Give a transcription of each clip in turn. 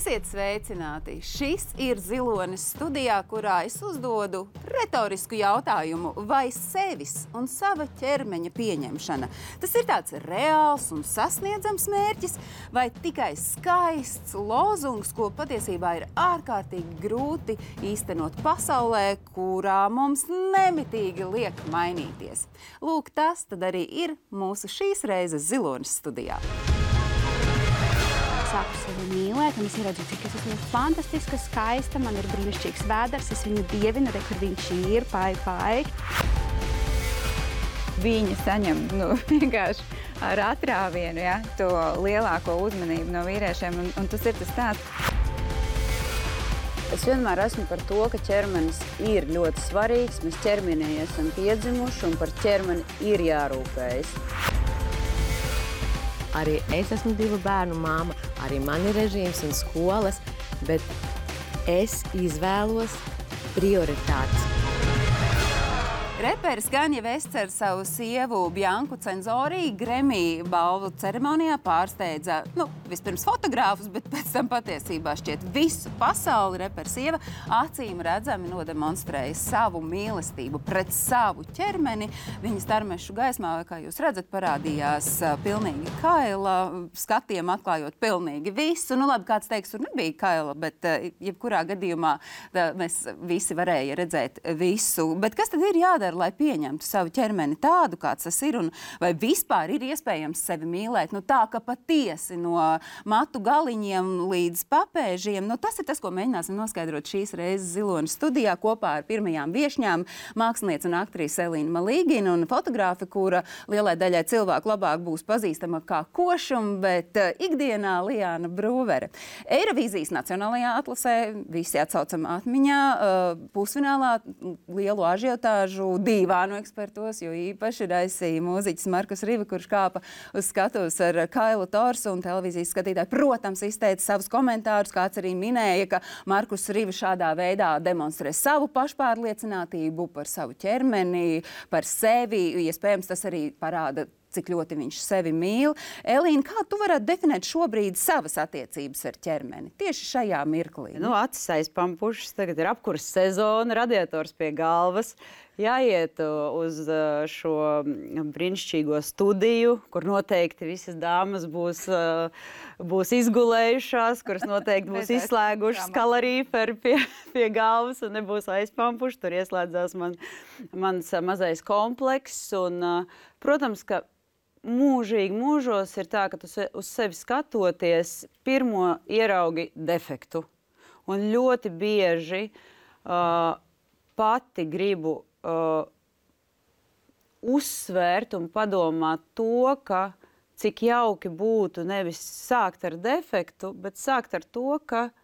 Esiet sveicināti! Šis ir Zilonis studijā, kurā es uzdodu retorisku jautājumu, vai sevis un sava ķermeņa pieņemšana. Tas ir tāds reāls un sasniedzams mērķis, vai tikai skaists lozungs, ko patiesībā ir ārkārtīgi grūti īstenot pasaulē, kurā mums nemitīgi liek mainīties. Lūk, tas tad arī ir mūsu šīs reizes Zilonis studijā. Sāku sevi mīlēt, un es redzu, cik es esmu fantastiska, skaista, man ir brīnišķīgs vēders, es viņu dievinu, kur viņš ir, pai. Viņi saņem vienkārši ar atrāvienu, ja, to lielāko uzmanību no vīriešiem, un tas ir tas tāds. Es vienmēr esmu par to, ka ķermenis ir ļoti svarīgs, mēs ķermenī esam piedzimuši, un par ķermeni ir jārūpējas. Arī es esmu 2 bērnu māma, arī man ir režīms un skolas, bet es izvēlos prioritātes. Reperis Kanye Wests ar savu sievu Bianku Censori Grammy balvu ceremonijā pārsteidza, vispirms fotogrāfus, bet pēc tam patiesībā šķiet visu pasauli. Reperis sieva acīm redzami nodemonstrēja savu mīlestību pret savu ķermeni. Viņas tarmešu gaismā, kā jūs redzat, parādījās pilnīgi kaila, skatiem atklājot pilnīgi visu. Labi, kāds teiks, tur nebija kaila, bet jebkurā gadījumā mēs visi varēja redzēt visu. Bet kas tad ir jādara, lai pieņemtu savu ķermeni tādu, kāds tas ir, un vai vispār ir iespējams sevi mīlēt, tā, ka patiesi no matu galiņiem līdz papēžiem, tas ir tas, ko mēģināsim noskaidrot šīs reizes Zilonis studijā kopā ar pirmajām viešņām, māksliniece un aktrise Elīna Malīgina un fotogrāfe, kura lielai daļai cilvēku labāk būs pazīstama kā košuma, bet ikdienā Liāna Brūvere. Eirovīzijas nacionālajā atlasē visi atsaucam atmiņā, pusfinālā lielu ažiotāžu dīvānu ekspertos, jo īpaši raisīja mūziķis Markus Riva, kurš kāpa uz skatuves ar Kailu Torsu, un televīzijas skatītāji, protams, izteica savus komentārus, kāds arī minēja, ka Markus Riva šādā veidā demonstrē savu pašpārliecinātību par savu ķermeni, par sevi, iespējams, tas arī parāda, cik ļoti viņš sevi mīl. Elīna, kā tu varētu definēt šobrīd savas attiecības ar ķermeni? Tieši šajā mirklī. Acis aizpampušas, tagad ir apkurs sezona, radiators pie galvas. Jāiet uz šo brīnišķīgo studiju, kur noteikti visas dāmas būs izgulējušās, kuras noteikti būs izslēgušas kalorīferi pie galvas un nebūs aizpampuši. Tur ieslēdzās mans mazais komplekss. Un, protams, ka mūžīgi mūžos ir tā, ka tu uz sevi skatoties pirmo ieraugi defektu. Un ļoti bieži pati gribu uzsvērt un padomāt to, ka cik jauki būtu nevis sākt ar defektu, bet sākt ar to, ka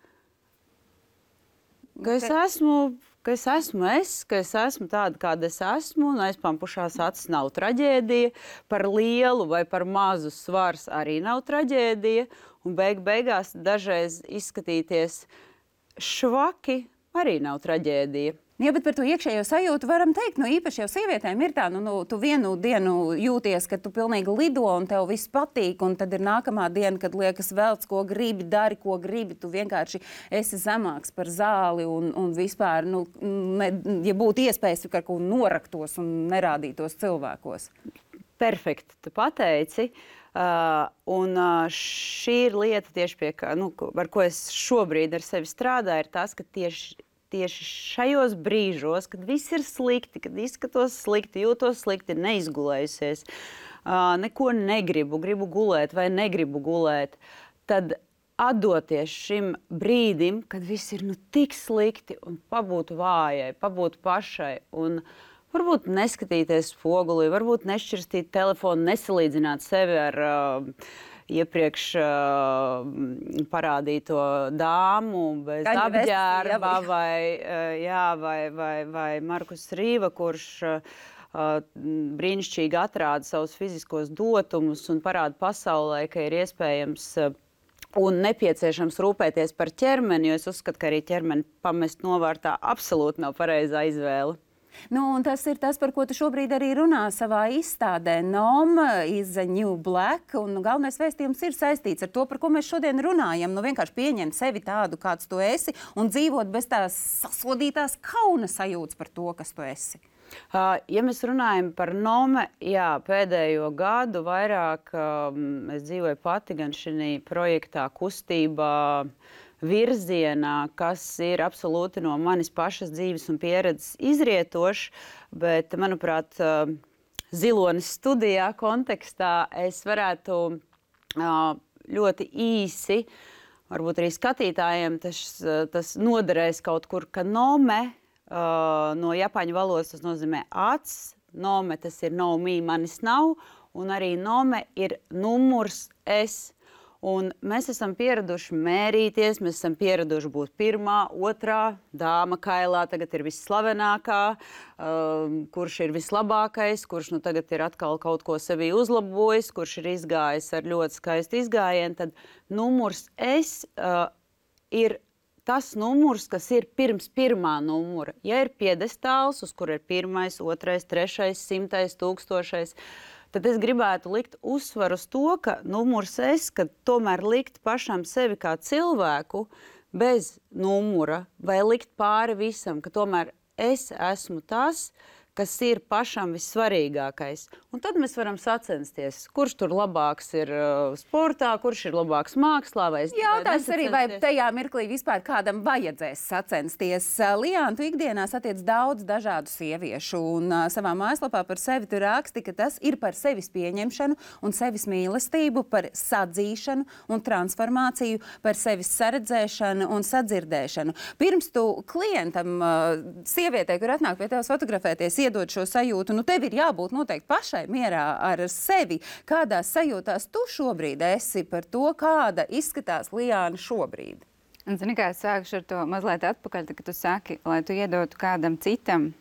es esmu tāda, kāda es esmu, un aizpampušās acis nav traģēdija, par lielu vai par mazu svars arī nav traģēdija, un beigās dažreiz izskatīties švaki arī nav traģēdija. Jā, bet par to iekšējo sajūtu varam teikt, īpaši jau sievietēm ir tā, tu vienu dienu jūties, ka tu pilnīgi lido un tev viss patīk, un tad ir nākamā diena, kad liekas velc, ko gribi, dari, ko gribi, tu vienkārši esi zemāks par zāli un vispār, ja būtu iespējas, ka kaut noraktos un nerādītos cilvēkos. Perfekti, tu pateici. Un šī ir lieta tieši ar ko es šobrīd ar sevi strādāju, ir tas, ka tieši šajos brīžos, kad viss ir slikti, kad izskatos slikti, jūtos slikti, neizgulējusies, neko gribu gulēt vai negribu gulēt, tad atdoties šim brīdim, kad viss ir tik slikti un pabūt vājai, pabūt pašai un varbūt neskatīties spogulī, varbūt nešķirstīt telefonu, nesalīdzināt sevi ar iepriekš parādīto dāmu bez apģērba vai Markus Riva, kurš brīnišķīgi atrāda savus fiziskos dotumus un parāda pasaulē, ka ir iespējams un nepieciešams rūpēties par ķermeni, jo es uzskatu, ka arī ķermeni pamest novārtā absolūti nav pareizā izvēle. Nu, un tas ir tas, par ko tu šobrīd arī runā savā izstādē. Noma is a new black, un galvenais vēstījums ir saistīts ar to, par ko mēs šodien runājam. Nu, vienkārši pieņemt sevi tādu, kāds tu esi, un dzīvot bez tās sasodītās kauna sajūtas par to, kas tu esi. Ja mēs runājam par Nome, jā, pēdējo gadu vairāk es dzīvoju pati gan šī projektā, kustībā, virzienā, kas ir absolūti no manis pašas dzīves un pieredzes izrietošs, bet, manuprāt, Zilonis studijā kontekstā es varētu ļoti īsi, varbūt arī skatītājiem tas noderēs kaut kur, ka Nome no japāņu valodas tas nozīmē acs, Nome tas ir no me, manis nav, un arī Nome ir numurs es. Un mēs esam pieraduši mērīties, mēs esam pieraduši būt pirmā, otrā, dāma kailā, tagad ir visslavenākā, kurš ir vislabākais, kurš nu tagad ir atkal kaut ko sevī uzlabojis, kurš ir izgājis ar ļoti skaistu izgājienu, tad numurs es ir tas numurs, kas ir pirms pirmā numura. Ja ir piedestāls, uz kur ir 1., 2., 3., 100., 1000, tad es gribētu likt uzsvaru uz to, ka numurs es, ka tomēr likt pašam sevi kā cilvēku bez numura vai likt pāri visam, ka tomēr es esmu tas, kas ir pašam vissvarīgākais. Un tad mēs varam sacensties, kurš tur labāks ir sportā, kurš ir labāks mākslā. Jautājums arī, vai tajā mirklī vispār kādam vajadzēs sacensties. Liāna, tu ikdienā satiec daudz dažādu sieviešu, un savā mājaslapā par sevi tu raksti, ka tas ir par sevis pieņemšanu un sevis mīlestību, par sadzīšanu un transformāciju, par sevis saredzēšanu un sadzirdēšanu. Pirms tu klientam, sievietei, kur atnāk pie tevis fotografēties, iedod šo sajūtu, nu tev ir jābūt noteikti pašai mierā ar sevi. Kādās sajūtās tu šobrīd esi par to, kāda izskatās Liāna šobrīd? Un, zini, kā es sākušu ar to mazliet atpakaļ, kad tu saki, lai tu iedotu kādam citam,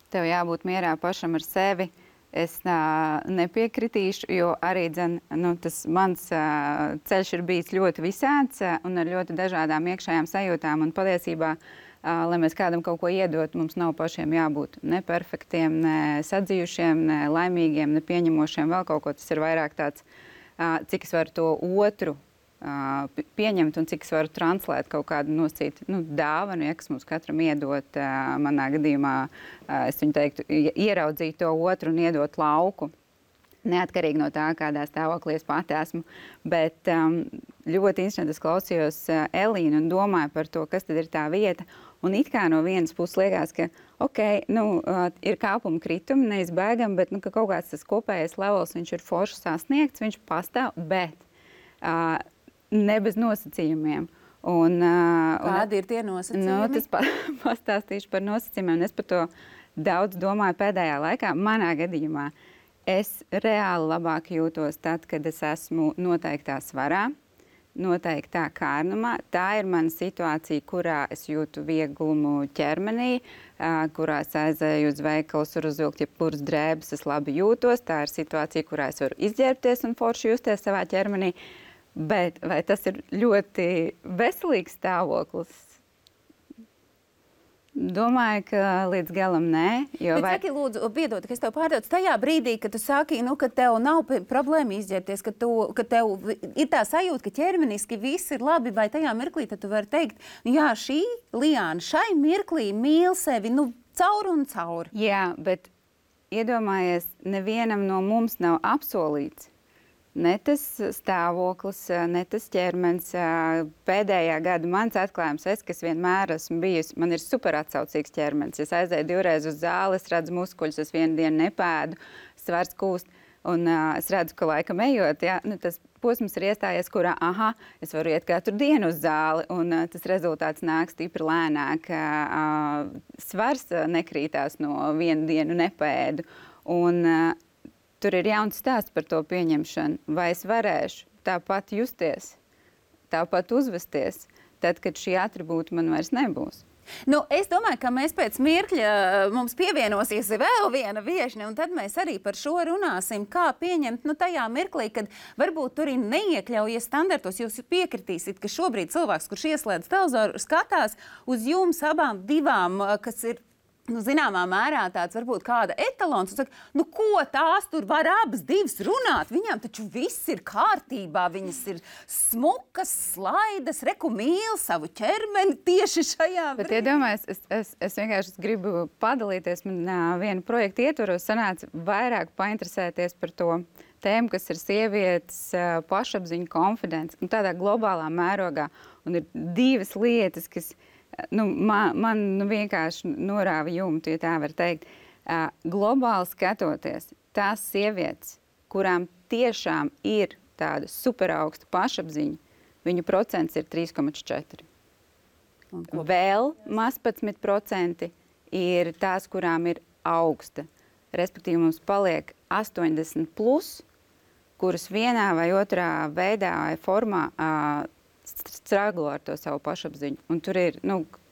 tev jābūt mierā pašam ar sevi. Es nepiekritīšu, jo arī tas mans ceļš ir bijis ļoti visāds un ar ļoti dažādām iekšējām sajūtām. Un patiesībā, lai mēs kādam kaut ko iedot, mums nav pašiem jābūt ne perfektiem, ne sadzījušiem, ne laimīgiem, ne pieņemošiem, vēl kaut ko. Tas ir vairāk tāds, cik es varu to otru pieņemt un cik es varu translēt kaut kādu nosacītu dāvanu, ja, kas mums katram iedot. Manā gadījumā es viņu teiktu, ieraudzīt to otru un iedot lauku. Neatkarīgi no tā, kādā stāvoklī es pati esmu. Bet ļoti interesanti es klausījos Elīnu un domāju par to, kas tad ir tā vieta. Un it kā no vienas puses liekas, ka ir kāpuma kritumi, neizbēgam, bet ka kaut kāds tas kopējais levels, viņš ir forši sasniegts, viņš pastāv, bet ne bez nosacījumiem. Kādi ir tie nosacījumi? Tas pastāstīšu par nosacījumiem. Es par to daudz domāju pēdējā laikā. Manā gadījumā es reāli labāk jūtos tad, kad es esmu noteiktā svarā, noteiktā kārnumā. Tā ir mana situācija, kurā es jūtu vieglumu ķermenī, kurā es aizēju uz veikalu, varu uzvilkt jebkuras drēbes, es labi jūtos. Tā ir situācija, kurā es varu izģērbties un forši justies savā ķermenī. Bet vai tas ir ļoti veselīgs stāvoklis? Domāju, ka līdz galam nē. Bet saki, lūdzu, piedod, ka es tev pārdodu. Tajā brīdī, kad tu saki, ka tev nav problēma izģērbties, ka tev ir tā sajūta, ka ķermeniski viss ir labi, vai tajā mirklī tad tu vari teikt, jā, šī Liāna šai mirklī mīl sevi, caur un caur. Jā, bet iedomājies, nevienam no mums nav apsolīts. Ne tas stāvoklis, ne tas ķermenis. Pēdējā gada mans atklājums, kas vienmēr esmu bijusi, man ir super atsaucīgs ķermenis. Es aizēju 2 reizes uz zāli, es redzu muskuļus, es vienu dienu nepēdu, svars kūst. Un es redzu, ka laikam ejot, tas posms ir iestājies, kurā, es varu iet katru dienu uz zāli, un tas rezultāts nāk stipri lēnāk. Svars nekrītās no vienu dienu nepēdu. Un tur ir jauns stāsts par to pieņemšanu. Vai es varēšu tāpat justies, tāpat uzvesties, tad, kad šī atribūta man vairs nebūs? Es domāju, ka mēs pēc mirkļa mums pievienosies vēl viena viešņa, un tad mēs arī par šo runāsim, kā pieņemt tajā mirklī, kad varbūt tur ir neiekļaujies standartos. Jūs piekritīsiet, ka šobrīd cilvēks, kurš ieslēdz televizoru, skatās uz jums abām divām, kas ir zināmā mērā tāds varbūt kāda etalons, un saka, ko tās tur var abas divas runāt? Viņām taču viss ir kārtībā, viņas ir smukas, slaidas, reku mīl savu ķermeni tieši šajā brīdī. Bet iedomājies, es vienkārši gribu padalīties, man vienu projektu ietvaros sanāca vairāk painteresēties par to tēmu, kas ir sievietes pašapziņa, konfidence, un tādā globālā mērogā. Un ir divas lietas, kas man vienkārši norāva jumtu, ja tā var teikt. Globāli skatoties, tās sievietes, kurām tiešām ir tāda superaugsta pašapziņa, viņu procents ir 3,4. Vēl maz 11% ir tās, kurām ir augsta. Respektīvi, mums paliek 80+, kuras vienā vai otrā veidā vai formā straglo ar to savu pašapziņu. Un tur ir,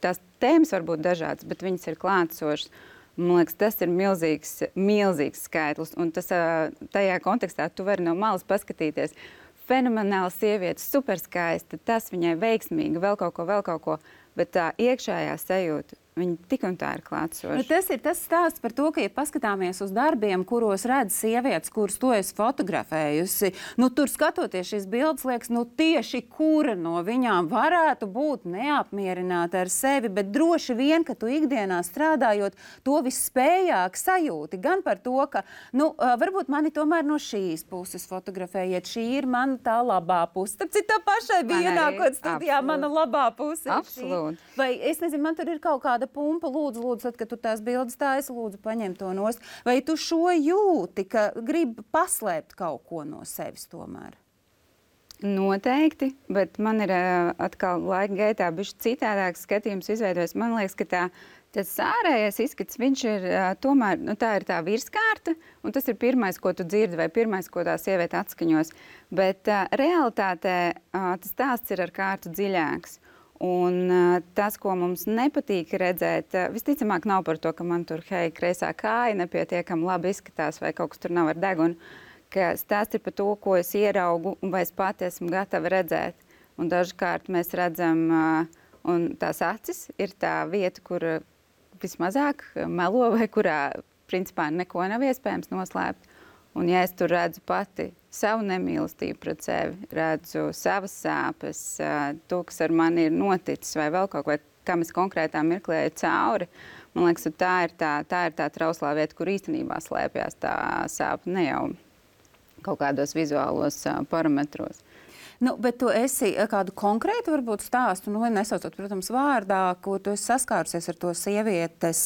tās tēmas var būt dažādas, bet viņas ir klātsošas. Man liekas, tas ir milzīgs skaitlis. Un tas, tajā kontekstā tu vari no malas paskatīties. Fenomenāla sieviete, superskaista, tas viņai veiksmīgi, vēl kaut ko. Bet tā iekšējā sajūta, viņi tik un tā ir klātsoši. Tas ir tas stāsts par to, ka, ja paskatāmies uz darbiem, kuros redz sievietes, kuras to esi fotografējusi, tur skatoties šīs bildes, liekas, tieši kura no viņām varētu būt neapmierināta ar sevi, bet droši vien, ka tu ikdienā strādājot, to visspējāk sajūti. Gan par to, ka, varbūt mani tomēr no šīs puses fotografējiet, šī ir mana tā labā puse. Tāpēc tā pašai bija ienākot studijā, mana labā puse. Absolūti. Vai, es nezinu, man tur ir kaut kāda pumpa, lūdzu, tad, kad tu tās bildes taisi, lūdzu, paņem to nost. Vai tu šo jūti, ka gribi paslēpt kaut ko no sevis tomēr? Noteikti, bet man ir atkal laika gaitā bišķi citādāks skatījums izveidojas. Man liekas, ka tas ārējais izskats, viņš ir tomēr, tā ir tā virskārta, un tas ir pirmais, ko tu dzirdi, vai pirmais, ko tā sieviete atskaņos. Bet realitātē tas stāsts ir ar kārtu dziļāks. Un tas, ko mums nepatīk redzēt, visticamāk nav par to, ka man tur, kreisā kāja nepietiekami labi izskatās vai kaut kas tur nav ar degunu, ka stāsts ir par to, ko es ieraugu un vai es pati esmu gatava redzēt. Un dažkārt mēs redzam, un tās acis ir tā vieta, kur vismazāk melo vai kurā principā neko nav iespējams noslēpt. Un ja es tur redzu pati savu nemīlestību pret sevi, redzu savas sāpes, to, kas ar mani ir noticis vai vēl kaut ko, kam es konkrētā mirklēju cauri, man liekas, tā ir tā trauslā vieta, kur īstenībā slēpjas tā sāpe, ne jau kaut kādos vizuālos parametros. Bet tu esi kādu konkrētu varbūt stāstu, nesaucot, protams, vārdā, ko tu esi saskārusies ar to sievietes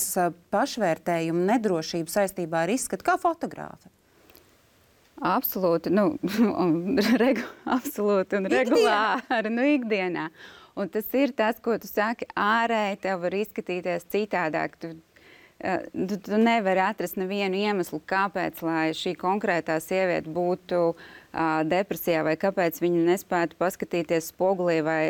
pašvērtējumu, nedrošību saistībā ar izskatu kā fotogrāfe? Absolūti, absolūti un regulāri, ikdienā. Un tas ir tas, ko tu saki, ārēji tev var izskatīties citādāk. Tu nevari atrast nevienu iemeslu, kāpēc, lai šī konkrētā sieviete būtu depresijā, vai kāpēc viņa nespētu paskatīties spogulī, vai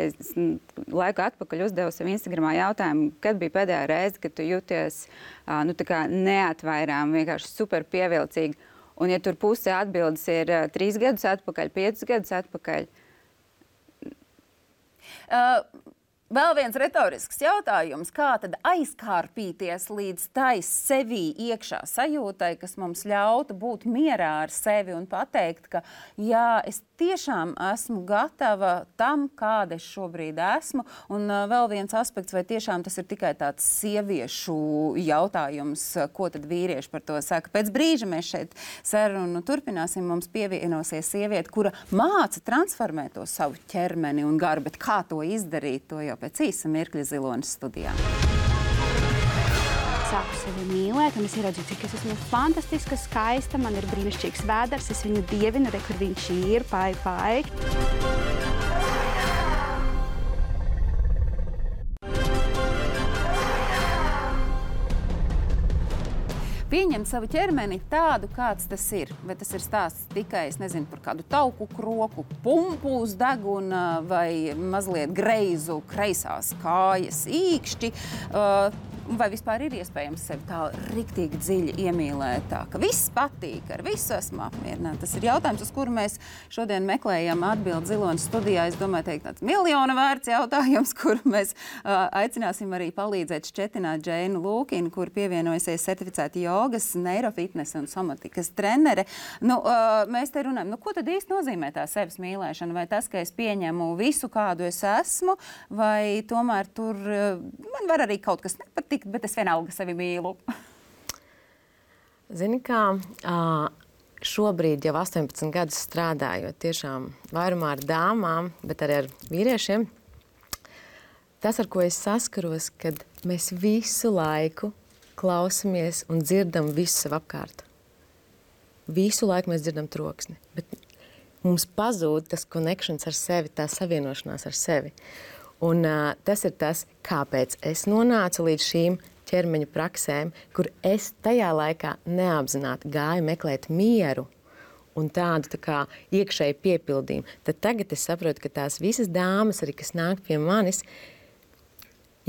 laiku atpakaļ uzdevu sev Instagramā jautājumu, kad bija pēdējā reize, kad tu jūties tā kā neatvairām, vienkārši super pievilcīgi. Un ja tur puse atbildes ir 3 gadus atpakaļ, 5 gadus atpakaļ. Vēl viens retorisks jautājums. Kā tad aizkārpīties līdz tai sevī iekšā sajūtai, kas mums ļautu būt mierā ar sevi un pateikt, ka jā, es tiešām esmu gatava tam, kāda es šobrīd esmu. Un vēl viens aspekts, vai tiešām tas ir tikai tāds sieviešu jautājums, ko tad vīrieši par to saka. Pēc brīža mēs šeit sarunu turpināsim. Mums pievienosies sieviete, kura māca transformēt to savu ķermeni un garu, bet kā to izdarīt, to jau pēc īsa mirkļa Zilonis studijā. Sāku sevi mīlēt, un es ieredzu, cik es esmu fantastiska, skaista, man ir brīnišķīgs vēders, es viņu dievinu, kur viņš ir, pai. Pieņemt savu ķermeni tādu, kāds tas ir. Vai tas ir stāsts tikai, es nezinu, par kādu tauku kroku, pumpu uz deguna vai mazliet greizu kreisās kājas īkšķi. vai vispār ir iespējams sevi tā riktīgi dziļi iemīlēt, tā, ka viss patīk, ar visu esmu apmierināta? Tas ir jautājums, uz kuru mēs šodien meklējam atbildi Ziloņas studijā. Es domāju, teikt tāds miljona vērts jautājums, kuru mēs aicināsim arī palīdzēt šķetināt Džeinu Lūkinu, kur pievienojusies certificēta jogas, neirofitnesa un somatikas trenere. Nu, mēs te runājam, nu, ko tad īsti nozīmē tā sevis mīlēšana? Vai tas, ka es pieņemu visu, kādu es esmu, vai tomēr tur man var arī kaut kas nepatikt, bet es vienalga sevi mīlu? Zini kā, šobrīd jau 18 gadus strādājot tiešām vairumā ar dāmām, bet arī ar vīriešiem, tas, ar ko es saskaros, kad mēs visu laiku klausamies un dzirdam visu sev apkārt. Visu laiku mēs dzirdam troksni, bet mums pazūd tas connections ar sevi, tā savienošanās ar sevi. Un tas ir tas, kāpēc es nonācu līdz šīm ķermeņa praksēm, kur es tajā laikā neapzināti gāju meklēt mieru un tādu tā kā iekšēju piepildījumu. Tad tagad es saprotu, ka tās visas dāmas, arī kas nāk pie manis,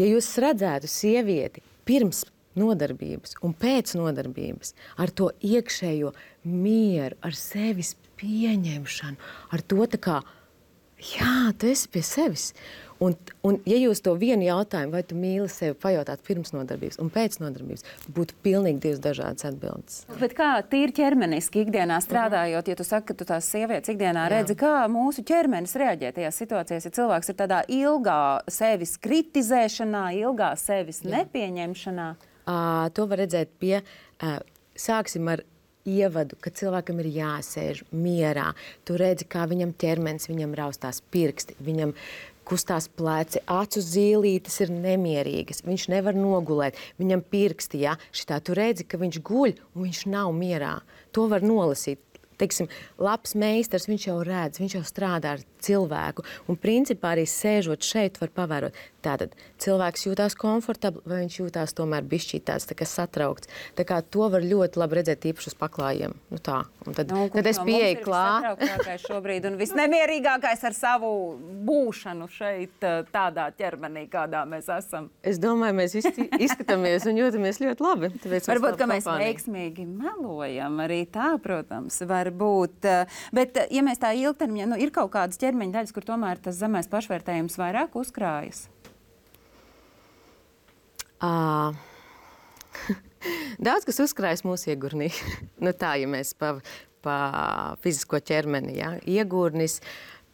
ja jūs redzētu sievieti pirms nodarbības un pēc nodarbības ar to iekšējo mieru, ar sevis pieņemšanu, ar to tā kā, jā, tu esi pie sevis. Un ja jūs to vienu jautājumu, vai tu mīli sevi, pajautāt pirms nodarbības un pēc nodarbības, būtu pilnīgi divas dažādas atbildes. Bet kā tīri ķermeniski ikdienā strādājot, ja tu saki, ka tu tās sievietes ikdienā redzi, kā mūsu ķermenis reaģē tajās situācijās, ja cilvēks ir tādā ilgā sevis kritizēšanā, ilgā sevis nepieņemšanā? To var redzēt pie, sāksim ar ievadu, ka cilvēkam ir jāsēž mierā. Tu redzi, kā viņam ķermenis, viņam raustās pirksti, viņam kustās pleci, acu zīlītes ir nemierīgas, viņš nevar nogulēt, viņam pirksti, ja, šitā tu redzi, ka viņš guļ un viņš nav mierā. To var nolasīt. Teiksim, labs meistars, viņš jau redz, viņš jau strādā ar cilvēku. Un principā arī sēžot šeit var pavērot. Tātad cilvēks jūtās komfortabli, vai viņš jūtās tomēr bišķīt tāds tā kā satraukts. Tā kā to var ļoti labi redzēt īpaši uz paklājiem. Nu tā. Un tad es pieeju klāt. Satrauktākais šobrīd un visnemierīgākais ar savu būšanu šeit tādā ķermenī, kādā mēs esam. Es domāju, mēs izskatāmies un jūtamies ļoti labi. Varbūt, ka mēs veiksmīgi melojam arī tā, protams, var būt. Bet, ja mēs tā ilgtermiņā, nu, ir kaut kādas ķermeņa daļas, kur tomēr tas zemais pašvērtējums vairāk uzkrājas? Daudz, kas uzkrājas mūsu iegurnī. Nu tā, ja mēs pa fizisko ķermeni, ja? Iegurnis,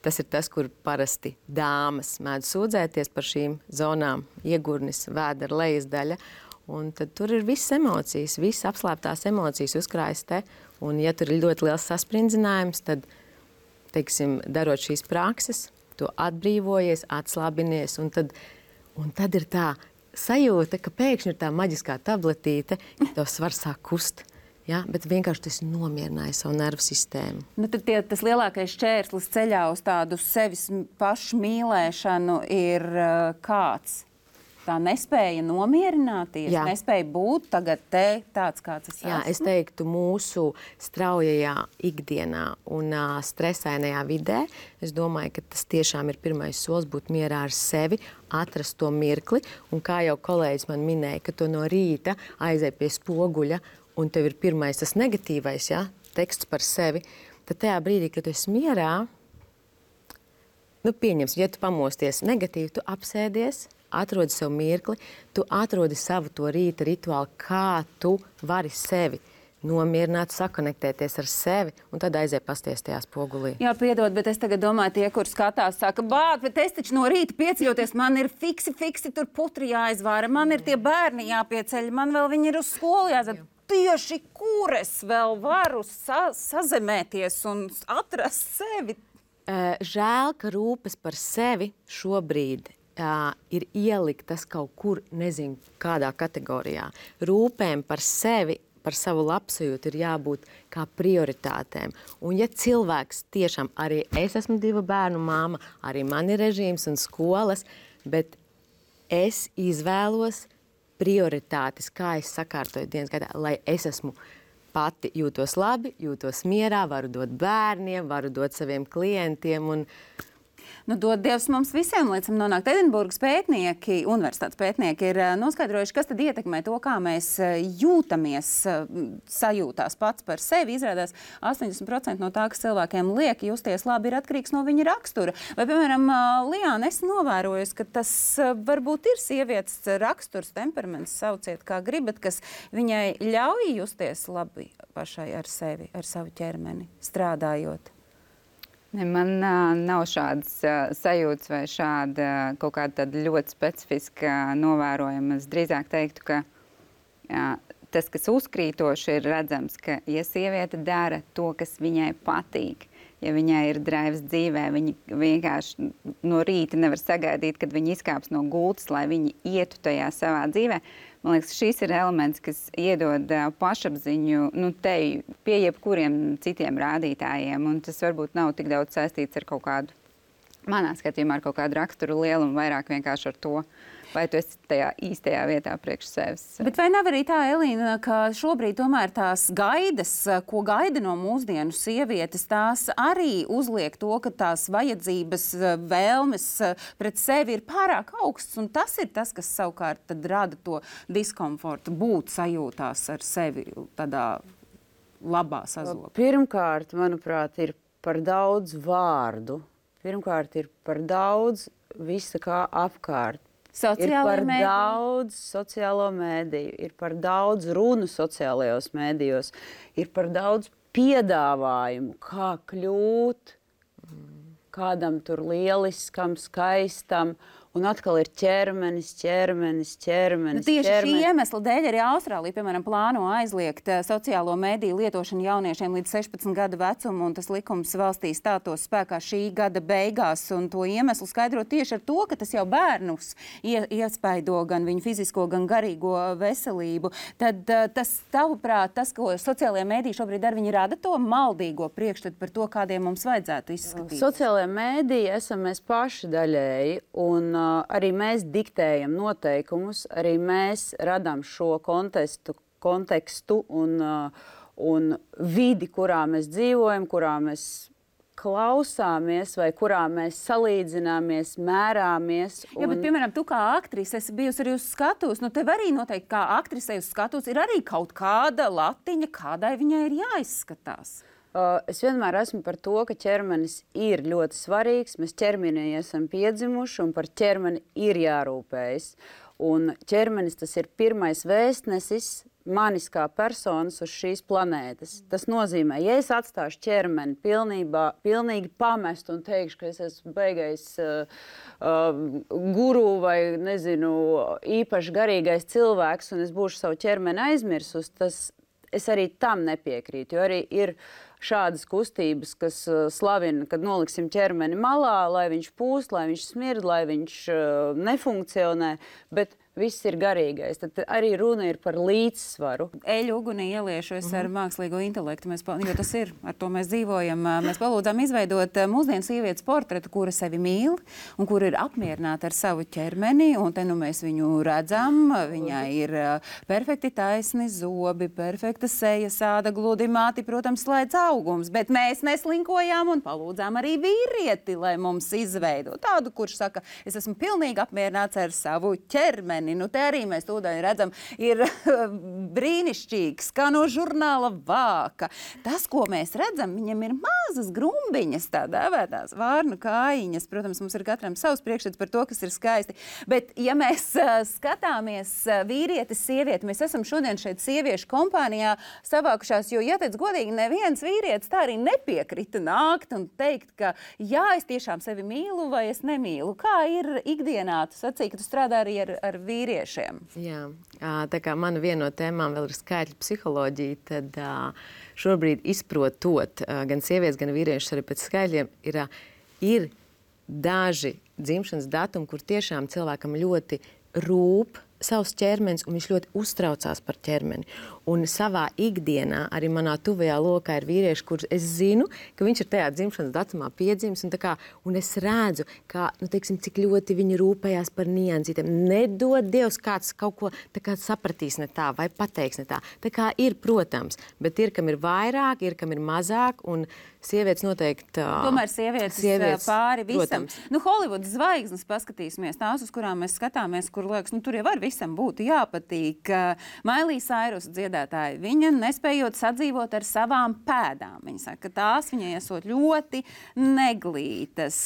tas ir tas, kur parasti dāmas mēdz sūdzēties par šīm zonām. Iegurnis, vēdera lejas daļa. Un tad tur ir visas emocijas, visas apslēptās emocijas uzkrājas te. Un ja tur ir ļoti liels saspringzinājums, tad, teiksim, darot šīs prakses, tu atbrīvojies, atslābinies, un tad ir tā sajūta, ka pēkšņi ir tā maģiskā tabletīte, ka tavs svars sāk kust. Ja? Bet vienkārši tu esi nomierināji savu nervu sistēmu. Nu, tad tas lielākais šķērslis ceļā uz tādu sevis pašu mīlēšanu ir kāds? Tā nespēja nomierināties, jā. Nespēja būt tagad te tāds, kāds es esmu. Jā, es teiktu, mūsu straujajā ikdienā un stresainajā vidē, es domāju, ka tas tiešām ir pirmais solis būt mierā ar sevi, atrast to mirkli. Un kā jau kolēģis man minēja, ka tu no rīta aizej pie spoguļa un tev ir pirmais tas negatīvais, ja, teksts par sevi, tad tajā brīdī, kad tu esi mierā, nu pieņems, ja tu pamosties negatīvi, tu apsēdies, atrodi sev mirkli, tu atrodi savu to rīta rituālu, kā tu vari sevi nomierināt, sakonektēties ar sevi un tad aizēj pasties tajā spogulī. Jā, piedod, bet es tagad domāju, tie, kur skatās, saka, bāt, bet es taču no rīta pieceļoties, man ir fiksi tur putri jāizvāra, man ir tie bērni jāpieceļ, man vēl viņi ir uz skolu jāzad. Tieši kur es vēl varu sazemēties un atrast sevi? Žēl, ka rūpes par sevi šobrīd ir ieliktas kaut kur, nezinu, kādā kategorijā. Rūpēm par sevi, par savu labsajūtu ir jābūt kā prioritātēm. Un ja cilvēks tiešām, arī es esmu 2 bērnu māma, arī man ir režīms un skolas, bet es izvēlos prioritātes, kā es sakārtoju dienas gaitā, lai es esmu pati jūtos labi, jūtos mierā, varu dot bērniem, varu dot saviem klientiem un Nu, dod Dievs mums visiem, līdz nonākt Edinburgas pētnieki, universitātes pētnieki ir noskaidrojuši, kas tad ietekmē to, kā mēs jūtamies, sajūtās pats par sevi. Izrādās 80% no tā, kas cilvēkiem liek justies labi, ir atkarīgs no viņa rakstura. Vai, piemēram, Liāna, esi novērojusi, ka tas varbūt ir sievietes raksturs, temperaments, sauciet kā gribat, kas viņai ļauj justies labi pašai ar sevi, ar savu ķermeni, strādājot? Ne, man nav šādas sajūtas vai šāda kaut kāda ļoti specifiska novērojuma. Es drīzāk teiktu, ka tas, kas uzkrītoši ir redzams, ka, ja sieviete dara to, kas viņai patīk, ja viņai ir draivs dzīvē, viņa vienkārši no rīta nevar sagaidīt, kad viņa izkāps no gultas, lai viņa ietu tajā savā dzīvē. Man liekas, šis ir elements, kas iedod pašapziņu pie jebkuriem citiem rādītājiem. Un tas varbūt nav tik daudz saistīts ar kaut kādu, manā skatījumā, ar kaut kādu raksturu lielumu, vairāk vienkārši ar to, vai tu esi tajā īstajā vietā priekš sevis. Bet vai nav arī tā, Elīna, ka šobrīd tomēr tās gaidas, ko gaida no mūsdienu sievietes, tās arī uzliek to, ka tās vajadzības, vēlmes pret sevi ir pārāk augsts, un tas ir tas, kas savukārt tad rada to diskomfortu, būt sajūtās ar sevi tādā labā sazobā? Pirmkārt, manuprāt, ir par daudz vārdu. Pirmkārt, ir par daudz visa kā apkārt. Ir par daudz sociālo mēdīju, ir par daudz runu sociālajos mēdījos, ir par daudz piedāvājumu, kā kļūt kādam tur lieliskam, skaistam, un atkal ir ķermenis. Tieši šī iemesla dēļ arī Austrālija, piemēram, plāno aizliegt sociālo mediju lietošanu jauniešiem līdz 16 gadu vecumu, un tas likums valstī stātos spēkā šī gada beigās, un to iemeslu skaidro tieši ar to, ka tas jau bērnus iespaido gan viņu fizisko, gan garīgo veselību. Tad tas, tavuprāt, tas, ko sociālajie mediji šobrīd dara, viņi rada to maldīgo priekšstatu par to, kādiem mums vajadzētu izskatīt. Sociālajie mediji esam mēs paši daļēji, un arī mēs diktējam noteikumus, arī mēs radām šo kontekstu un vidi, kurā mēs dzīvojam, kurā mēs klausāmies vai kurā mēs salīdzināmies, mērāmies. Jā, bet, piemēram, tu kā aktrise esi bijusi arī uz skatuves. Nu, tev arī noteikti kā aktrisei uz skatuves ir arī kaut kāda latiņa, kādai viņai ir jāizskatās. Es vienmēr esmu par to, ka ķermenis ir ļoti svarīgs. Mēs ķermenī esam piedzimuši un par ķermeni ir jārūpējas. Un ķermenis tas ir pirmais vēstnesis manis kā personas uz šīs planētas. Tas nozīmē, ja es atstāšu ķermeni pilnīgi pamest un teikšu, ka es esmu beigais guru vai, nezinu, īpaši garīgais cilvēks un es būšu savu ķermeni aizmirsus, es arī tam nepiekrītu, jo arī ir šādas kustības, kas slavina, kad noliksim ķermeni malā, lai viņš pūst, lai viņš smird, lai viņš nefunkcionē, bet viss ir garīgais. Tad arī runa ir par līdzsvaru. Eļu ugunī ieliešos ar mākslīgo intelektu, jo tas ir, ar to mēs dzīvojam. Mēs palūdzām izveidot mūsdienu sievietes portretu, kura sevi mīl un kura ir apmierināta ar savu ķermeni, un te nu mēs viņu redzam. Viņai ir perfekti taisni zobi, perfekta seja, sāda gludi, māti, protams, slēdz augums, bet mēs neslinkojām un palūdzām arī vīrieti, lai mums izveido tādu, kurš saka, es esmu pilnīgi apmierināts ar savu ķermeni. Nu, te arī mēs tūdaļ redzam, ir brīnišķīgs, kā no žurnāla vāka. Tas, ko mēs redzam, viņam ir mazas grumbiņas, tā dēvētās vārnu kājiņas. Protams, mums ir katram savs priekšstats par to, kas ir skaisti. Bet, ja mēs skatāmies vīrietis, sievieti, mēs esam šodien šeit sieviešu kompānijā savākušās, jo, ja teic godīgi, neviens vīrietis tā arī nepiekrita nākt un teikt, ka jā, es tiešām sevi mīlu vai es nemīlu. Kā ir ikdienā? Tu sacīji, ka tu strādā arī ar vīriešiem. Jā, tā kā mana viena no tēmām vēl ir skaitļu psiholoģija, tad šobrīd izprotot gan sievietes, gan vīriešus arī pēc skaitļiem ir daži dzimšanas datumi, kur tiešām cilvēkam ļoti rūp savs ķermenis, un viņš ļoti uztraucās par ķermeni. Un savā ikdienā, arī manā tuvajā lokā ir vīrieši, kurus es zinu, ka viņš ir tajā dzimšanas datumā piedzimis, un es redzu, kā, teiksim, cik ļoti viņi rūpējās par niansītēm. Nedod Dievs, kāds kaut ko tā kā sapratīs ne tā, vai pateiks ne tā. Tā kā ir, protams, bet ir, kam ir vairāk, ir, kam ir mazāk, un sievietes noteikti... Tomēr sievietes pāri visam. Protams. Nu, Holivudas zvaigznes paskatīsimies tās, uz kurām mēs skatāmies, kur liekas, nu, tur jau var visam būtu jāpatīk. Miley Cyrus dziedātāja, viņa nespējot sadzīvot ar savām pēdām. Viņa saka, ka tās viņai esot ļoti neglītas.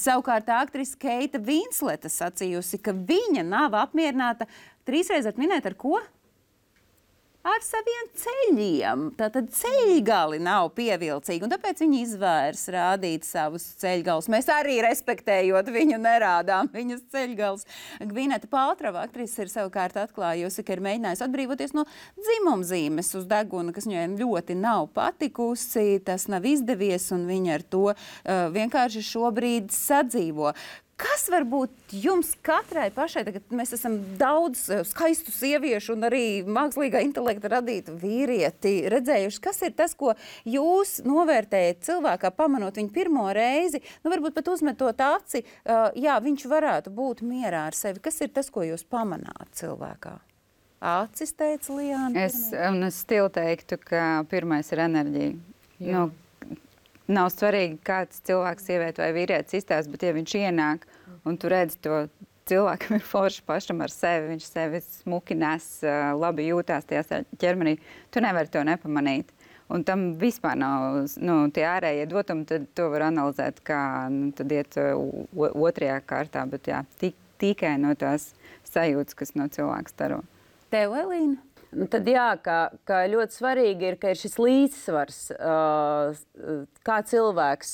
Savukārt aktrise Keita Vinsleta sacījusi, ka viņa nav apmierināta 3 reizes minēt ar ko? Ar saviem ceļiem. Tātad ceļgali nav pievilcīgi, un tāpēc viņi izvērs rādīt savus ceļgalus. Mēs arī respektējot viņu nerādām viņas ceļgalus. Gvineta Paltrova aktrise ir savukārt atklājusi, ka ir mēģinājusi atbrīvoties no dzimumzīmes uz deguna, kas viņai ļoti nav patikusi. Tas nav izdevies, un viņa ar to vienkārši šobrīd sadzīvo. Kas var būt jums katrai pašai, tagad mēs esam daudz skaistu sieviešu un arī mākslīgā intelekta radītu vīrieti redzējuši, kas ir tas, ko jūs novērtējat cilvēkā, pamanot viņu pirmo reizi, nu varbūt pat uzmetot aci, jā, viņš varētu būt mierā ar sevi. Kas ir tas, ko jūs pamanāt cilvēkā? Acis, teica Liāna. Es stilu teiktu, ka pirmais ir enerģija. Nu, nav svarīgi, kāds cilvēks, sieviete vai vīrietis izstāsta, bet ja viņš ienāk un tu redzi to cilvēkam ir forši pašam ar sevi, viņš sevi smuki nes, labi jūtās tajā ķermenī, tu nevari to nepamanīt. Un tam vispār nav tie ārējie dotumi, tad to var analizēt, kā tad iet otrajā kārtā, bet jā, tikai no tās sajūtas, kas no cilvēka staro. Tev, Elīna? Nu, tad jā, ka ļoti svarīgi ir, ka ir šis līdzsvars, kā cilvēks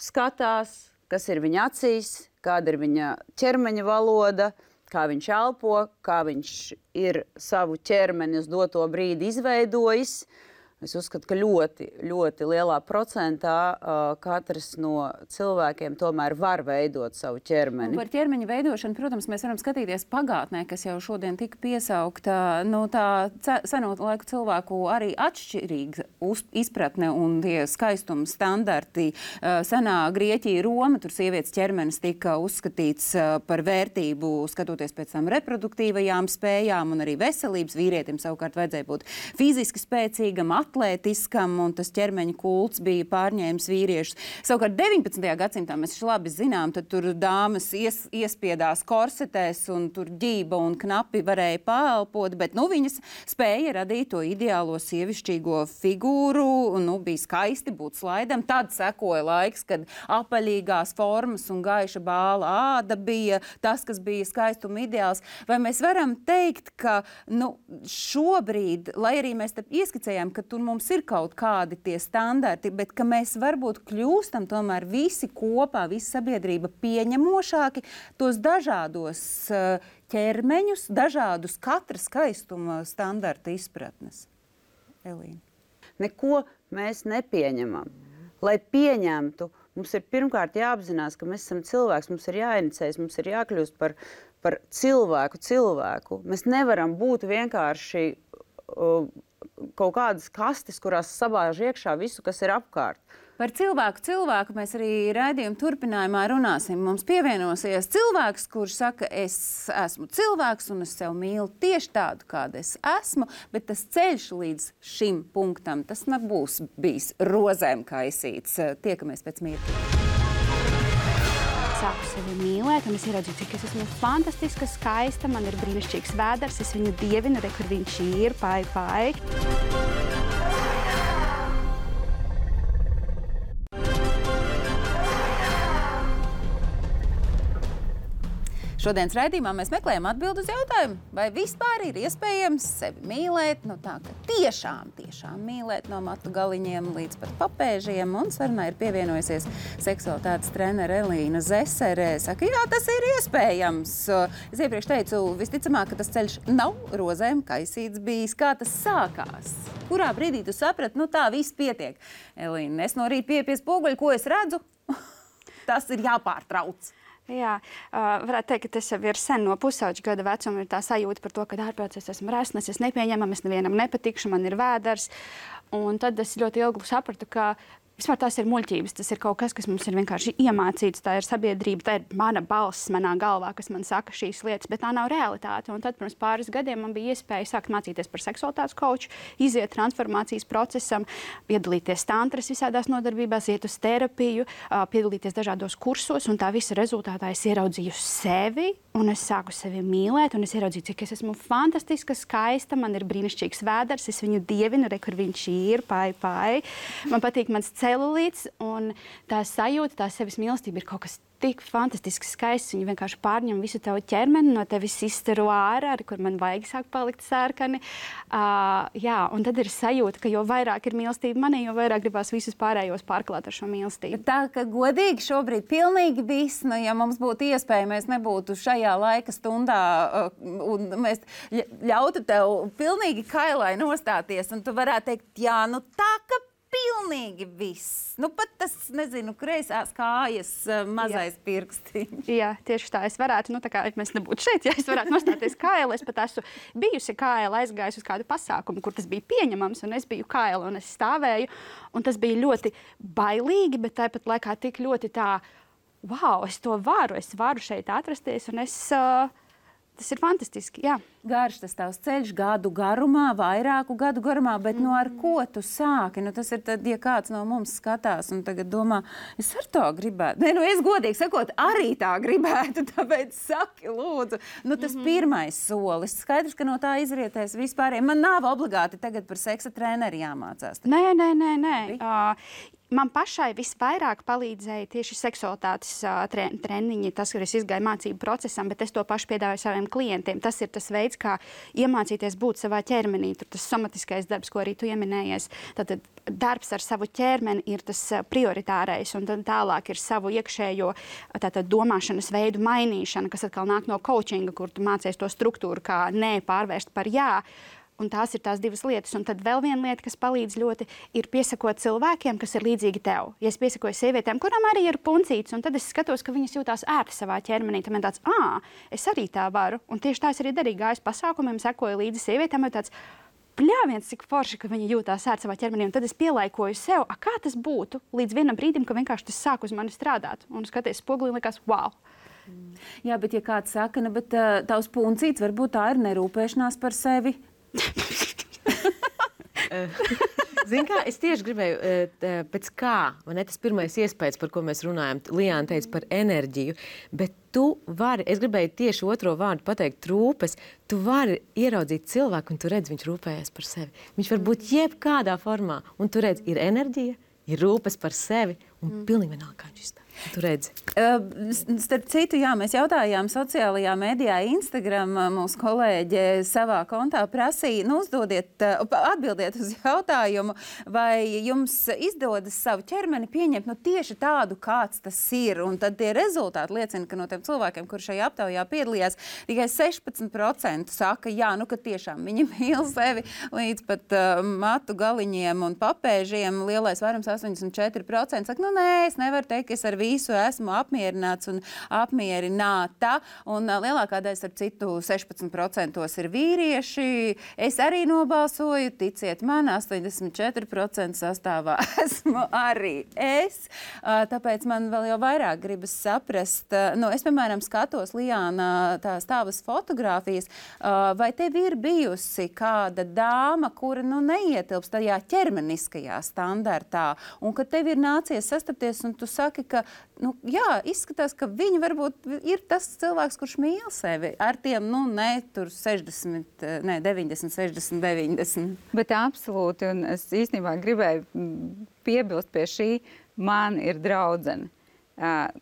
skatās, kas ir viņa acīs, kāda ir viņa ķermeņa valoda, kā viņš elpo, kā viņš ir savu ķermeni uz doto brīdi izveidojis. Es uzskatu, ka ļoti, ļoti lielā procentā katrs no cilvēkiem tomēr var veidot savu ķermeni. Un par ķermeņa veidošanu, protams, mēs varam skatīties pagātnē, kas jau šodien tika piesaukta. Tā seno laiku cilvēku arī atšķirīga izpratne un tie skaistuma standarti. Senā Grieķija, Roma, tur sievietes ķermenis tika uzskatīts par vērtību, skatoties pēc tam reproduktīvajām spējām un arī veselības. Vīrietim savukārt vajadzēja būt fiziski spēcīgam, atlētiskam, un tas ķermeņa kults bija pārņēmis vīriešus. Savukārt 19. gadsimtā mēs labi zinām, tad tur dāmas iespiedās korsetēs un tur ģība un knapi varēja paelpot, bet viņas spēja radīt to ideālo sievišķīgo figūru, bija skaisti būt slaidam. Tad sekoja laiks, kad apaļīgās formas un gaiša bāla āda bija tas, kas bija skaistuma ideāls. Vai mēs varam teikt, ka šobrīd, lai arī mēs te ieskicējām, ka tur mums ir kaut kādi tie standarti, bet ka mēs varbūt kļūstam tomēr visi kopā, visa sabiedrība pieņemošāki tos dažādos ķermeņus, dažādus katra skaistuma standarta izpratnes. Elīna. Neko mēs nepieņemam. Lai pieņemtu, mums ir pirmkārt jāapzinās, ka mēs esam cilvēks, mums ir jāinicējas, mums ir jākļūst par cilvēku. Mēs nevaram būt vienkārši kaut kādas kastes, kurās sabāž iekšā visu, kas ir apkārt. Par cilvēku mēs arī raidījuma turpinājumā runāsim. Mums pievienosies cilvēks, kurš saka, es esmu cilvēks un es sev mīlu tieši tādu, kāda es esmu, bet tas ceļš līdz šim punktam, tas nebūs bijis rozēm kaisīts. Tiekamies pēc mirkļa. Sāku sevi mīlēt, un es ieredzu, cik es esmu fantastiska, skaista, man ir brīnišķīgs vēders, es viņu dievinu, kur viņš ir, pai. Šodienas raidījumā mēs meklējam atbildi uz jautājumu, vai vispār ir iespējams sevi mīlēt, tā ka tiešām mīlēt no matu galiņiem līdz pat papēžiem, un sarunā ir pievienojusies seksualitātes trenere Elīna Zesere. Saka, jā, tas ir iespējams. Es iepriekš teicu, visticamāk, ka tas ceļš nav rozēm kaisīts bijis. Kā tas sākās? Kurā brīdī tu saprati, tā viss pietiek? Elīna, es no rīta pieeju pie spoguļa, ko es redzu? Tas ir jāpārtrauc. Jā, varētu teikt, ka tas jau ir sen no pusauģa gada vecuma ir tā sajūta par to, ka ārpēc es esmu resnas, es nepieņemam, es nevienam nepatikšu, man ir vēders. Un tad es ļoti ilgi sapratu, ka Vispār tās ir muļķības, tas ir kaut kas, kas mums ir vienkārši iemācīts, tā ir sabiedrība, tā ir mana balss manā galvā, kas man saka šīs lietas, bet tā nav realitāte. Un tad pirms pāris gadiem man bija iespēja sākt mācīties par seksualitātes koču, iziet transformācijas procesam, piedalīties tantras visādās nodarbībās, iet uz terapiju, piedalīties dažādos kursos, un tā visa rezultātā es ieraudzīju sevi, un es sāku sevi mīlēt, un es ieraudzīju, cik es esmu fantastiska, skaista, man ir brīnišķīgs vēders, es viņu dievinu, re, kur viņš ir, pai. Man patīk mans celulīts, un tā sajūta, tā sevis mīlestība ir kaut kas tik fantastiski skaists. Viņi vienkārši pārņem visu tavu ķermeni, no tevis izstaro ārā, kur man vajag sāk palikt sērkani. Jā, un tad ir sajūta, ka jo vairāk ir mīlestība manī, jo vairāk gribās visus pārējos pārklāt ar šo mīlestību. Tā, ka godīgi šobrīd pilnīgi viss, nu, ja mums būtu iespēja, mēs nebūtu šajā laika stundā, un mēs ļautu tev pilnīgi kailai nostāties, un tu varētu teikt, jā, nu tā, ka pilnīgi viss. Nu, pat tas, nezinu, kreisās kājas mazais pirkstiņš. Jā, tieši tā. Es varētu, tā kā mēs nebūtu šeit, ja es varētu nostāties kaila. Es pat esmu bijusi kaila, aizgājusi uz kādu pasākumu, kur tas bija pieņemams, un es biju kaila, un es stāvēju. Un tas bija ļoti bailīgi, bet tāpat laikā tik ļoti tā, wow, es varu šeit atrasties, un tas ir fantastiski, jā. Garš tas tavs ceļš gadu garumā, vairāku gadu garumā, bet nu ar ko tu sāki? Nu, tas ir tad, ja kāds no mums skatās un tagad domā, es ar to gribētu. Nē, nu es godīgi sakot, arī tā gribētu, tāpēc saki, lūdzu. Nu, tas pirmais solis. Skaidrs, ka no tā izrietēs vispārējiem. Man nav obligāti tagad par seksa treneri jāmācās. Nē. Man pašai visvairāk palīdzēja tieši seksualitātes treniņi, tas, kur es izgāju mācību procesam, bet es to pašu piedāvāju saviem klientiem. Tas ir tas veids, kā iemācīties būt savā ķermenī. Tur tas somatiskais darbs, ko arī tu ieminējies. Tātad darbs ar savu ķermeni ir tas prioritārais, un tad tālāk ir savu iekšējo domāšanas veidu mainīšana, kas atkal nāk no coachinga, kur tu mācies to struktūru, kā nē pārvērst par jā. Un tās ir tās divas lietas. Un tad vēl viena lieta, kas palīdz ļoti, ir piesakot cilvēkiem, kas ir līdzīgi tev. Ja es piesakoju sievietēm, kurām arī ir puncītes, un tad es skatos, ka viņas jūtās ērti savā ķermenī, tad man tāds, es arī tā varu. Un tieši tā es arī darīju, gāju uz pasākumiem, sekoju līdzi sievietēm, un tāds, pļāviens, cik forši, ka viņa jūtās ērti savā ķermenī. Un tad es pielaikoju sev, kā tas būtu līdz vienam brīdim, ka vienkārši tas sāk uz mani strādāt. Un skaties spogulī un likās, wow. Jā, bet ja kāds saka, bet tavs puncīts varbūt tā ir nerūpēšanās par sevi. Zini kā, es tieši gribēju, pēc kā, vai ne, tas pirmais iespējas, par ko mēs runājam, Lijāna teica par enerģiju, bet tu vari, es gribēju tieši otro vārdu pateikt, rūpes, tu vari ieraudzīt cilvēku un tu redz, viņš rūpējas par sevi. Viņš var būt jebkādā formā, un tu redz, ir enerģija, ir rūpes par sevi, un pilnīgi vienalga, kā viņš izstāv. Tu redzi. Starp citu, jā, mēs jautājām sociālajā medijā Instagram, mūsu kolēģe savā kontā prasīja, atbildiet uz jautājumu, vai jums izdodas savu ķermeni pieņemt tieši tādu, kāds tas ir. Un tad tie rezultāti liecina, ka no tiem cilvēkiem, kur šajā aptaujā piedalījās, tikai 16% saka, jā, ka tiešām viņi mīl sevi līdz pat matu galiņiem un papēžiem. Lielais vairums 84% saka, nē, es nevaru teikt, ka es ar visu esmu apmierināts un apmierināta. Un lielākā daļa, starp citu, 16% ir vīrieši. Es arī nobalsoju, ticiet man, 84% sastāvā esmu arī es. Tāpēc man vēl jau vairāk gribas saprast. Es, piemēram, skatos, Lijāna, tās tavas fotogrāfijas. Vai tev ir bijusi kāda dāma, kura neietilpst tajā ķermeniskajā standartā, un ka tev ir nācies sastapties, un tu saki, ka izskatās, ka viņi varbūt ir tas cilvēks, kurš mīl sevi ar tiem, 60, 90, 60, 90. Bet absolūti, un es īstenībā gribēju piebilst pie šī, man ir draudzene,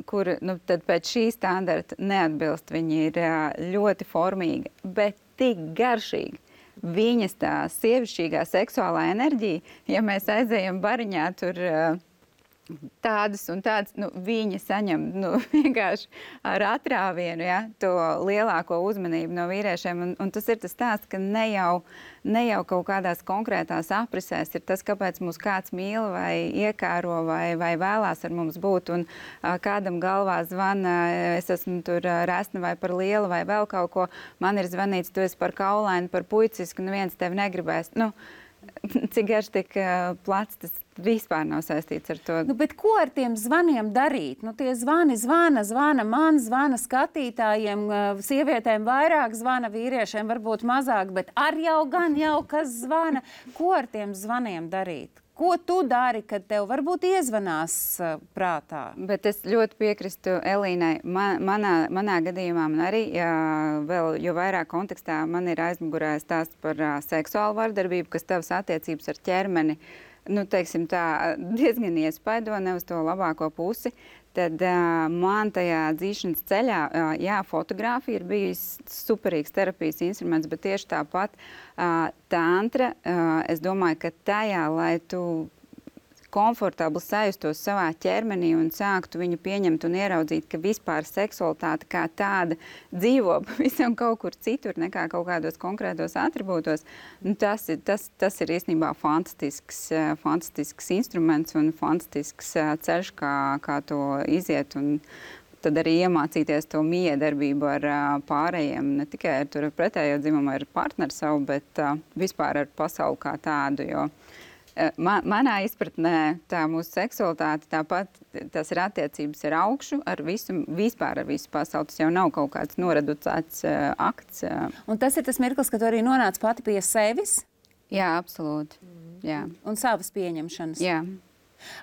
kur tad pēc šī standarta neatbilst. Viņa ir ļoti formīga, bet tik garšīga. Viņas tā sievišķīgā seksuālā enerģija, ja mēs aizējam bariņā, tur tādas un tādas, viņa saņem vienkārši ar atrāvienu, to lielāko uzmanību no vīriešiem. Un tas ir tas stāsts, ka ne jau kaut kādās konkrētās aprisēs ir tas, kāpēc mūs kāds mīl vai iekāro vai vēlās ar mums būt. Un kādam galvā zvana, es esmu tur resna vai par lielu vai vēl kaut ko. Man ir zvanīts, tu esi par kaulainu, par puicisku, neviens tevi negribēs. cik garš, tik plats, tas vispār nav saistīts ar to. Nu, bet ko ar tiem zvaniem darīt? Nu, tie zvana man, zvana skatītājiem, sievietēm vairāk zvana, vīriešiem varbūt mazāk, bet jau kas zvana. Ko ar tiem zvaniem darīt? Ko tu dari, kad tev varbūt iezvanās prātā? Bet es ļoti piekrītu Elīnai. Manā gadījumā man arī vēl, jo vairāk kontekstā man ir aizmugurē stāsts par seksuālu vardarbību, kas tavas attiecības ar ķermeni, nu, teiksim tā, diezgan iespaido, ne uz to labāko pusi. Tad man tajā dzīšanas ceļā, fotografija ir bijis superīgs terapijas instruments, bet tieši tāpat tantra, es domāju, ka tajā, lai tu komfortabli sajustos savā ķermenī un sāktu viņu pieņemt un ieraudzīt, ka vispār seksualitāte kā tāda dzīvo pavisam kaut kur citur nekā kaut kādos konkrētos atribūtos. Nu, tas ir īstenībā fantastisks instruments un fantastisks ceļš, kā to iziet un tad arī iemācīties to miedarbību ar pārējiem, ne tikai ar pretējo dzimumu, ar partneri savu, bet vispār ar pasauli kā tādu, jo manā izpratnē tā mūsu seksualitāte tāpat, tas ir attiecības ar augšu, vispār ar visu pasauli. Tas jau nav kaut kāds noreducēts akts. Un tas ir tas mirklis, ka tu arī nonāc pati pie sevis? Jā, absolūti. Jā. Un savas pieņemšanas? Jā.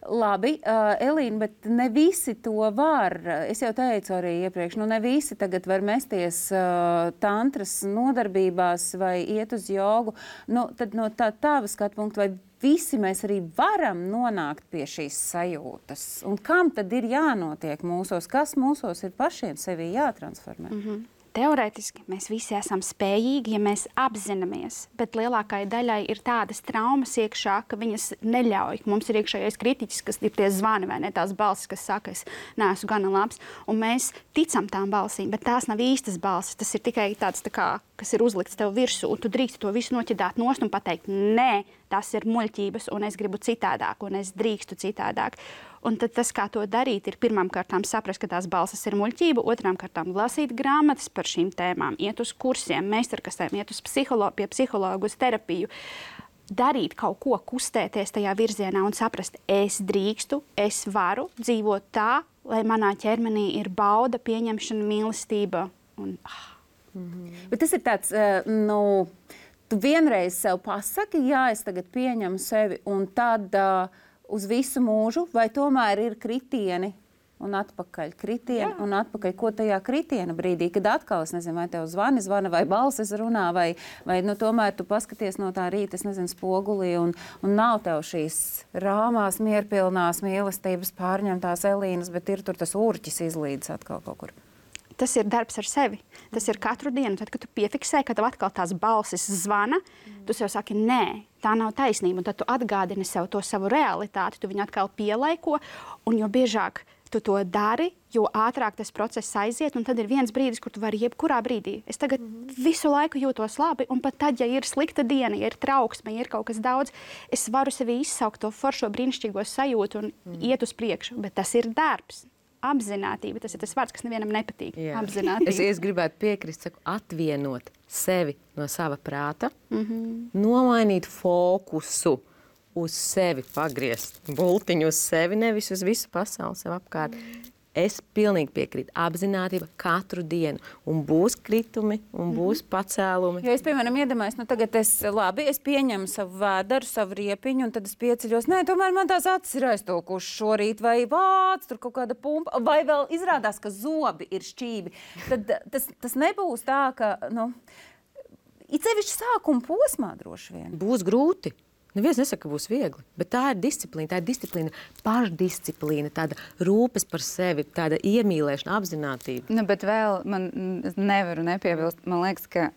Labi, Elīna, bet ne visi to var. Es jau teicu arī iepriekš, ne visi tagad var mesties tantras nodarbībās vai iet uz jogu. Tad no tava skatu punkta, vai visi mēs arī varam nonākt pie šīs sajūtas? Un kam tad ir jānotiek mūsos? Kas mūsos ir pašiem sevi jātransformē? Teorētiski mēs visi esam spējīgi, ja mēs apzināmies, bet lielākai daļai ir tādas traumas iekšā, ka viņas neļauj. Mums ir iekšējais kritiķis, kas ir tie zvani vai ne tās balsis, kas saka, es neesmu gana labs, un mēs ticam tām balsīm, bet tās nav īstas balsis. Tas ir tikai tāds, kas ir uzlikts tev virsū, un tu drīkst to visu noķidāt nost un pateikt, nē, tas ir muļķības, un es gribu citādāk, un es drīkstu citādāk. Un tad tas, kā to darīt, ir pirmām kārtām saprast, ka tās balsis ir muļķība, otrām kārtām lasīt grāmatas par šīm tēmām, iet uz kursiem, meistarkastēm, iet uz pie psihologu, uz terapiju, darīt kaut ko, kustēties tajā virzienā un saprast, es drīkstu, es varu dzīvot tā, lai manā ķermenī ir bauda, pieņemšana, mīlestība. Bet tas ir tāds, tu vienreiz sev pasaki, jā, es tagad pieņemu sevi, un tad uz visu mūžu, vai tomēr ir kritieni un atpakaļ? Kritieni un atpakaļ. Ko tajā kritiena brīdī, kad atkal, es nezinu, vai tev zvana vai balsis runā, vai tomēr tu paskaties no tā rīta, es nezinu, spogulī, un nav tev šīs rāmās, mierpilnās mīlestības pārņemtās Elīnas, bet ir tur tas urķis izlīdz atkal kaut kur. Tas ir darbs ar sevi. Tas ir katru dienu. Tad, kad tu piefiksē, ka tev atkal tās balsis zvana, tu sev saki, nē, tā nav taisnība. Un tad tu atgādini sev to savu realitāti, tu viņu atkal pielaiko, un jo biežāk tu to dari, jo ātrāk tas process aiziet, un tad ir viens brīdis, kur tu vari jebkurā brīdī. Es tagad visu laiku jūtos labi, un pat tad, ja ir slikta diena, ja ir trauksme, ja ir kaut kas daudz, es varu sevi izsaukt to foršo brīnišķīgo sajūtu un iet uz priekšu, bet tas ir darbs. Apzinātība, tas ir tas vārds, kas nevienam nepatīk. Apzinātība. Es gribētu piekrist, atvienot sevi no sava prāta, nomainīt fokusu uz sevi, pagriezt bultiņu uz sevi, nevis uz visu pasauli sev apkārt. Es pilnīgi piekrītu. Apzinātība katru dienu. Un būs kritumi, un būs pacēlumi. Jo es, piemēram, iedomājos, tagad es pieņemu savu vēderu, savu riepiņu, un tad es pieceļos. Nē, tomēr man tās acis ir aiztolkušas šorīt, vai vāc, tur kaut kāda pumpa, vai vēl izrādās, ka zobi ir šķīvi. Tad tas nebūs tā, ka, it sevišķi sākuma posmā droši vien. Būs grūti. Neviens nesaka, ka būs viegli, bet tā ir disciplīna, pašdisciplīna, tāda rūpes par sevi, tāda iemīlēšana, apzinātība. Bet vēl man nevaru nepiebilst, man liekas, ka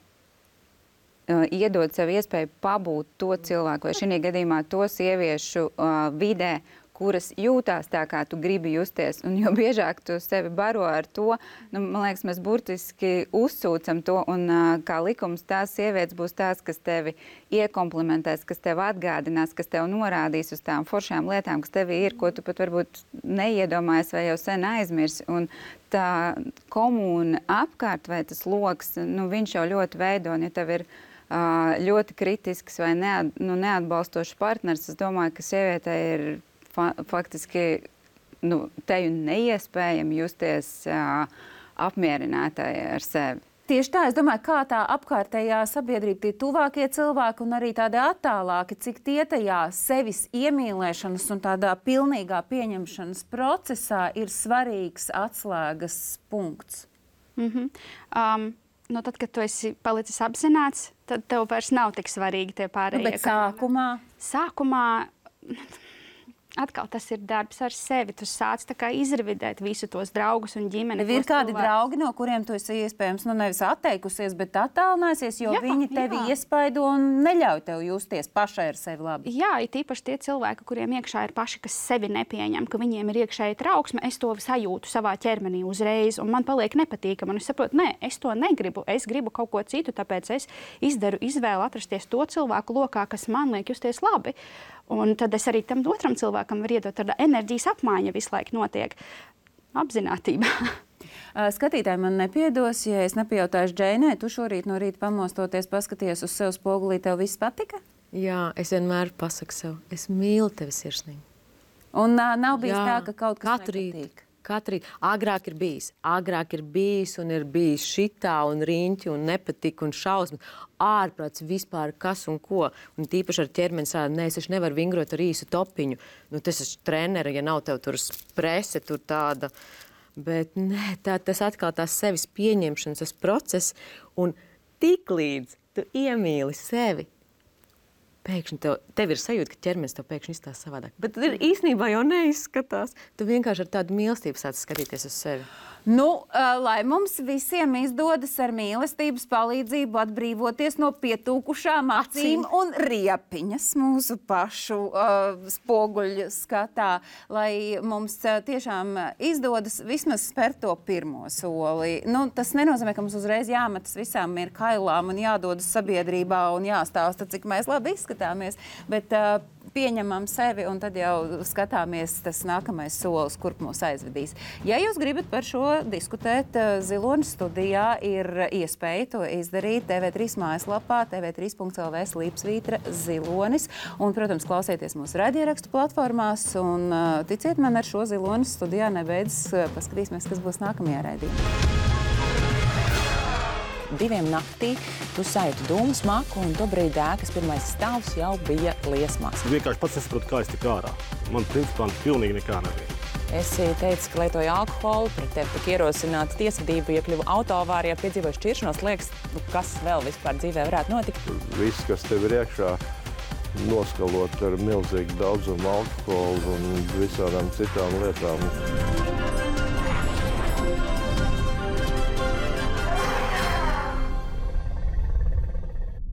iedot sev iespēju pabūt to cilvēku, vai šī gadījumā to sieviešu vidē, kuras jūtās tā, kā tu gribi justies. Un jo biežāk tu sevi baro ar to, man liekas, mēs burtiski uzsūcam to, un kā likums tās sievietes būs tās, kas tevi iekomplimentēs, kas tev atgādinās, kas tev norādīs uz tām foršām lietām, kas tevi ir, ko tu pat varbūt neiedomājies vai jau sen aizmirsi. Un tā komūna apkārt vai tas loks, viņš jau ļoti veido, un ja tev ir ļoti kritisks vai neatbalstošs partners, es domāju, ka sievietei ir faktiski teju neiespējami justies apmierinātai ar sevi. Tieši tā, es domāju, kā tā apkārtējā sabiedrība, tie tuvākie cilvēki un arī tādi attālāki, cik tie tajā sevis iemīlēšanas un tādā pilnīgā pieņemšanas procesā ir svarīgs atslēgas punkts. Tad, kad tu esi palicis apzināts, tad tev vairs nav tik svarīgi tie pārējie. Bet sākumā? Sākumā atkal tas ir darbs ar sevi. Tu sāc tā kā izrevidēt visu tos draugus un ģimeni. Ir kādi draugi, no kuriem tu esi iespējams nevis atteikusies, bet attālināsies, jo viņi tevi iespaido un neļauj tev justies pašai ar sevi labi. Jā, ir tīpaši tie cilvēki, kuriem iekšā ir paši, kas sevi nepieņem, ka viņiem ir iekšēji trauksme, es to sajūtu savā ķermenī uzreiz, un man paliek nepatīkami. Un es saprotu, nē, es to negribu, es gribu kaut ko citu, tāpēc es izdaru izvēli atrasties to cilvēku lokā, kas man liek justies labi. Un tad es arī tam otram cilvēkam varu iedot, tāda enerģijas apmaiņa visu laiku notiek apzinātībā. Skatītāji man nepiedos, ja es nepajautāšu Džeinai, tu šorīt no rīta pamostoties, paskaties uz sev spogulī, tev viss patika? Jā, es vienmēr pasaku sev, es mīlu tevi sirsnīgi. Un nav bijis tā, ka kaut kas nepatīk? Katru rītu. Agrāk ir bijis un ir bijis šitā un riņķi un nepatika un šausmas. Ārprāts vispār kas un ko. Un tīpaši ar ķermeni strādāt, nē, es taču nevaru vingrot ar īsu topiņu. Tas ir treneri, ja nav tev tur prese, tur tāda. Bet nē, tas atkal tās sevis pieņemšanas, tas process. Un tiklīdz tu iemīli sevi, pēkšņi tev ir sajūta, ka ķermenis tev pēkšņi izskatās savādāk. Bet tad īstenībā jau neizskatās. Tu vienkārši ar tādu mīlestību sāc skatīties uz sevi. Lai mums visiem izdodas ar mīlestības palīdzību atbrīvoties no pietūkušām acīm un riepiņas mūsu pašu spoguļu skatā, lai mums tiešām izdodas vismaz spērt to pirmo soli. Tas nenozīmē, ka mums uzreiz jāmetas visām ir kailām un jādodas sabiedrībā un jāstāsta, cik mēs labi izskatāmies, bet pieņemam sevi un tad jau skatāmies tas nākamais solis, kurp mūs aizvedīs. Ja jūs gribat par šo diskutēt, Zilonis studijā ir iespēja to izdarīt TV3 mājaslapā, tv3.lv/Zilonis. Un, protams, klausieties mūsu raidierakstu platformās un ticiet man, ar šo Zilonis studijā nebeidzas. Paskatīsimies, kas būs nākamajā raidījumā. 2 naktī tu sajūti dūmu smaku un tobrīd ēkas pirmais stāvs jau bija liesmās. Vienkārši pats nesaprotu, kā es tik ārā. Man principā pilnīgi nekā nebija. Esi teicis, ka lietoji alkoholu, pret tevi tika ierosināta tiesvedība, iekļuva autoavārijā, piedzīvoja šķiršanos. Liekas, kas vēl vispār dzīvē varētu notikt? Viss, kas tev ir iekšā, noskalot ar milzīgu daudzumu alkoholu un visādām citām lietām.